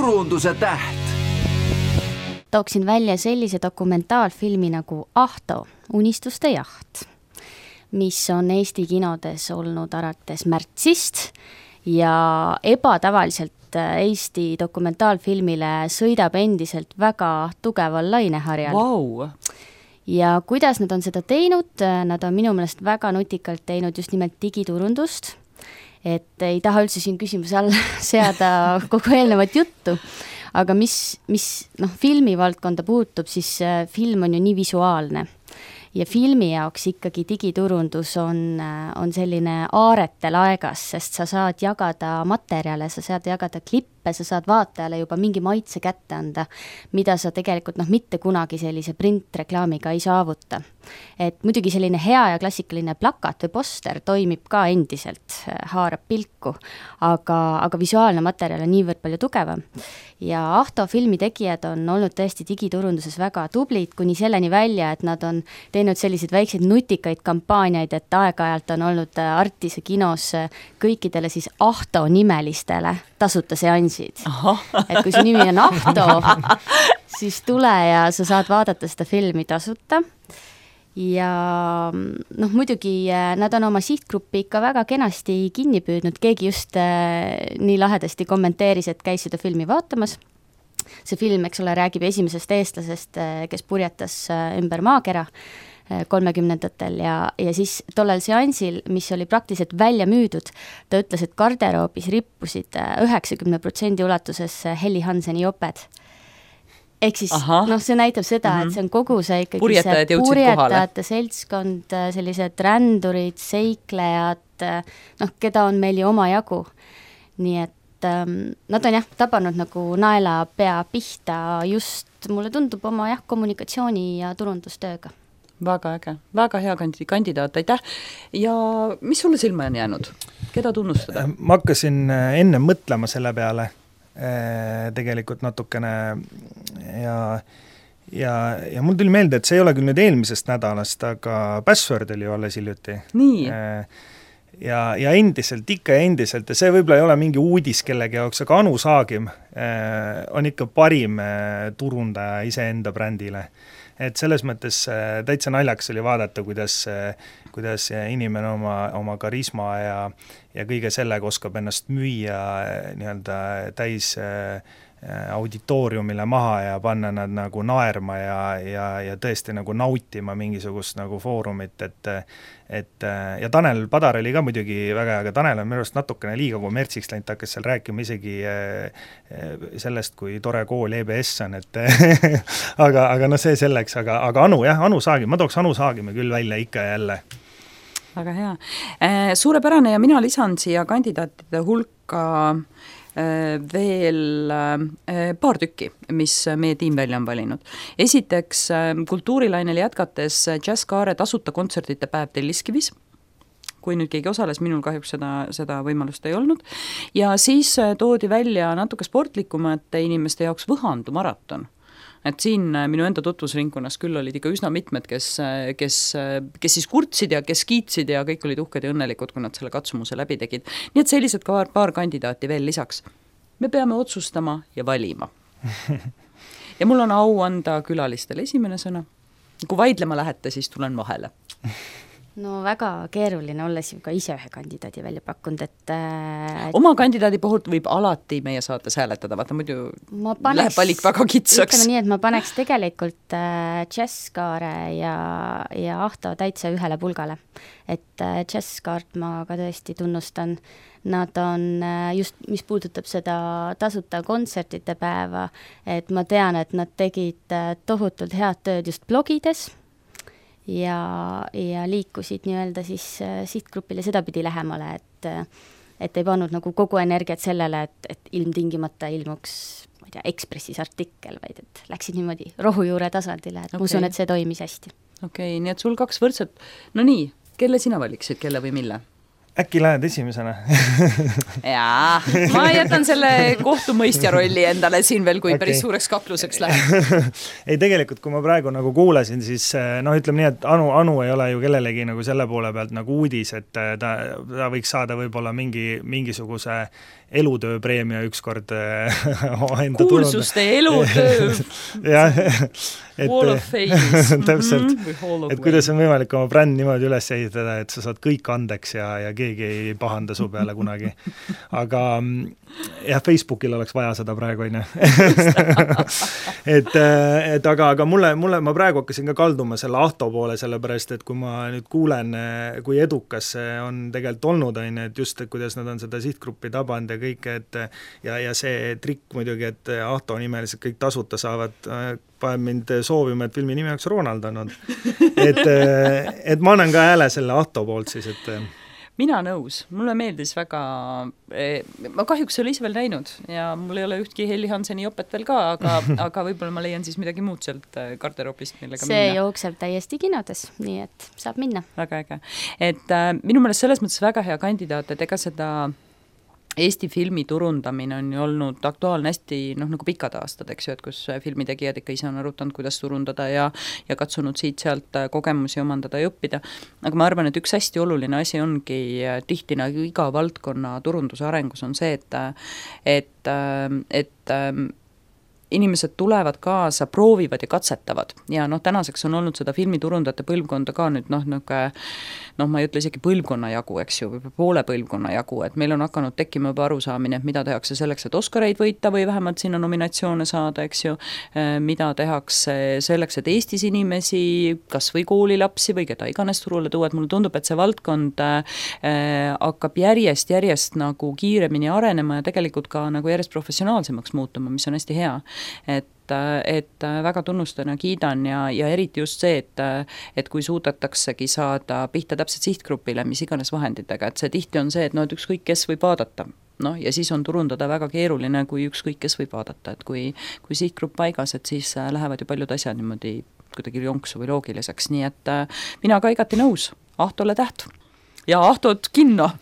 turunduse täht. Tooksin välja sellise dokumentaalfilmi nagu Ahto, unistuste jaht, mis on Eesti kinodes olnud alates märtsist ja ebatavaliselt Eesti dokumentaalfilmile sõidab endiselt väga tugeval laineharjal. Wow. Ja kuidas nad on seda teinud? Nad on minu meelest väga nutikalt teinud just nimelt digiturundust, et ei taha üldse siin küsimuse all seada kogu eelnevat juttu, aga mis filmi valdkonda puutub, siis film on ju nii visuaalne. Ja filmi jaoks ikkagi digiturundus on selline aarete laegas, sest sa saad jagada materjale, sa saad jagada klippe, sa saad vaatajale juba mingi maitse kätte anda, mida sa tegelikult mitte kunagi sellise printreklaamiga ei saavuta. Et muidugi selline hea ja klassikaline plakat või poster toimib ka endiselt, haarab pilku, aga visuaalne materjal on niivõrd palju tugevam. Ja Ahto filmi tegijad on olnud tõesti digiturunduses väga tublid, kuni selleni välja, et nad on teinud selliseid väikseid nutikaid kampaaniaid, et aeg-ajalt on olnud Artise kinos kõikidele siis Ahto nimelistele tasuta seansid. Et kui su nimi on Ahto, siis tule ja sa saad vaadata seda filmi tasuta. Ja muidugi nad on oma sihtgruppi ikka väga kenasti kinni püüdnud, keegi just nii lahedasti kommenteeris, et käis seda filmi vaatamas. See film, eks ole, räägib esimesest eestlasest, kes purjetas ümber maakera 30ndatel ja siis tollel seansil, mis oli praktiliselt välja müüdud, ta ütles, et garderoobis rippusid 90% ulatuses Helly Hanseni joped. Ehk siis, see näitab seda, et see on kogu see ikkagi purjetajate seltskond, sellised rändurid, seiklejad, keda on meil ju oma jagu. Nii et nad on tabanud nagu naela pea pihta just, mulle tundub, oma kommunikatsiooni ja turundustööga. Väga äge, väga hea kandidaat, aitäh. Ja mis sulle silma on jäänud? Keda tunnustada? Ma hakkasin enne mõtlema selle peale tegelikult natukene ja mul tuli meelde, et see ei ole küll nüüd eelmisest nädalast, aga Password oli ju alles hiljuti. Nii. Ja endiselt, ikka endiselt, ja see võib-olla ei ole mingi uudis kellegi jaoks, aga Anu Saagim on ikka parim turundaja iseenda brändile. Et selles mõttes täitsa naljaks oli vaadata, kuidas inimene oma karisma ja kõige sellega oskab ennast müüa nii-öelda täis auditooriumile maha ja panna nad nagu naerma ja tõesti nagu nautima mingisugust nagu foorumit, ja Tanel Padar oli ka muidugi väga, aga Tanel on minu arust natukene liiga kommertsiks läinud, ta hakkas seal rääkima isegi sellest, kui tore kool EBS on, et aga see selleks, aga Anu Saagim, ma tooks Anu Saagime küll välja ikka ja jälle. Väga hea. Suurepärane ja mina lisan siia kandidaatide hulka veel paar tükki, mis meie tiim välja on valinud. Esiteks kultuurilainel jätkates Jazzkaare tasuta kontsertide päev Telliskivis, kui nüüd keegi osales, minul kahjuks seda võimalust ei olnud. Ja siis toodi välja natuke sportlikumate inimeste jaoks Võhandu maraton. Et siin minu enda tutvusringkonnas küll olid ikka üsna mitmed, kes siis kurtsid ja kes kiitsid ja kõik olid uhked ja õnnelikud, kui nad selle katsumuse läbi tegid. Nii et sellised ka paar kandidaati veel lisaks. Me peame otsustama ja valima. Ja mul on au anda külalistele esimene sõna. Kui vaidlema lähete, siis tulen vahele. No väga keeruline olles ju ka ise ühe kandidaadi välja pakkunud, et oma kandidaadi puhult võib alati meie saates hääletada, vaata muidu läheb valik väga kitsaks. Ütleme nii, et ma paneks tegelikult Jazzkaare ja Ahto täitsa ühele pulgale. Et Jazzkaart ma ka tõesti tunnustan. Nad on just, mis puudutab seda tasuta kontsertide päeva, et ma tean, et nad tegid tohutult head tööd just blogides, ja liikusid nii-öelda siis sihtgrupile sedapidi lähemale, et ei pannud nagu kogu energiat sellele, et ilmtingimata ilmuks, ma ei tea, Ekspressis artikkel, vaid et läksid niimoodi rohujuure tasandile, et ma usun, et see toimis hästi. Okei, nii et sul kaks võrdset. No nii, kelle sina valiksid, kelle või mille? Äkki lähed esimesena? Jaa, ma jätan selle kohtumõistja rolli endale siin veel, kui päris suureks kakluseks läheb. Ei, tegelikult, kui ma praegu nagu kuulasin, siis ütleme nii, et Anu ei ole ju kellelegi nagu selle poole pealt nagu uudis, et ta võiks saada võib-olla mingisuguse elutööpreemia ükskord kuulsuste elutöö jah, Wall of Fame täpselt, et kuidas on võimalik oma bränd niimoodi üles ehitada, et sa saad kõik andeks ja keegi ei pahanda su peale kunagi. Aga jah, Facebookil oleks vaja seda praegu, on ju. aga mulle, ma praegu hakkasin ka kalduma selle Ahto poole, sellepärast, et kui ma nüüd kuulen, kui edukas see on tegelikult olnud, on ju, et just, et kuidas nad on seda sihtgruppi tabanud ja kõike, et ja see trikk muidugi, et Ahto nimelised kõik tasuta saavad, paneb mind soovima, et filmi nimi oleks Ronald olnud. Et ma annan ka hääle selle Ahto poolt siis, et mina nõus, mulle meeldis väga, ma kahjuks ei ole ise veel näinud ja mul ei ole ühtki Helly Hanseni jopet veel ka, aga võib-olla ma leian siis midagi muud sealt garderoobist, millega see minna. Jookseb täiesti kinodes, nii et saab minna. Väga äge. Et minu meelest selles mõttes väga hea kandidaat, et ega seda Eesti filmi turundamine on ju olnud aktuaalne hästi, nagu pikad aastad, eks ju, et kus filmitegijad ikka ise on arutanud, kuidas turundada ja katsunud siit-sealt kogemusi omandada ja õppida. Aga ma arvan, et üks hästi oluline asi ongi tihti nagu iga valdkonna turunduse arengus on see, et inimesed tulevad kaasa, proovivad ja katsetavad ja tänaseks on olnud seda filmiturundajate põlvkonda ka nüüd ma ei ütle isegi põlvkonna jagu, eks ju, või poole põlvkonna jagu, et meil on hakanud tekkima juba arusaamine, et mida tehakse selleks, et Oscareid võita või vähemalt sinna nominatsioone saada, eks ju, mida tehakse selleks, et Eestis inimesi, kas või koolilapsi või keda iganes turule tuua, et mulle tundub, et see valdkond hakkab järjest nagu kiiremini arenema ja tegelikult ka nagu järjest professionaalsemaks muutuma, mis on hästi hea. Et väga tunnustan ja kiidan ja eriti just see, et kui suudetaksegi saada pihta täpselt sihtgrupile, mis iganes vahenditega, et see tihti on see, et et ükskõik kes võib vaadata. Ja siis on turundada väga keeruline, kui ükskõik kes võib vaadata, et kui sihtgrupp paigas, et siis lähevad ju paljud asjad niimoodi kuidagi jonksu või loogiliseks, nii et mina ka igati nõus, Ahtole täht ja Ahtot kinno!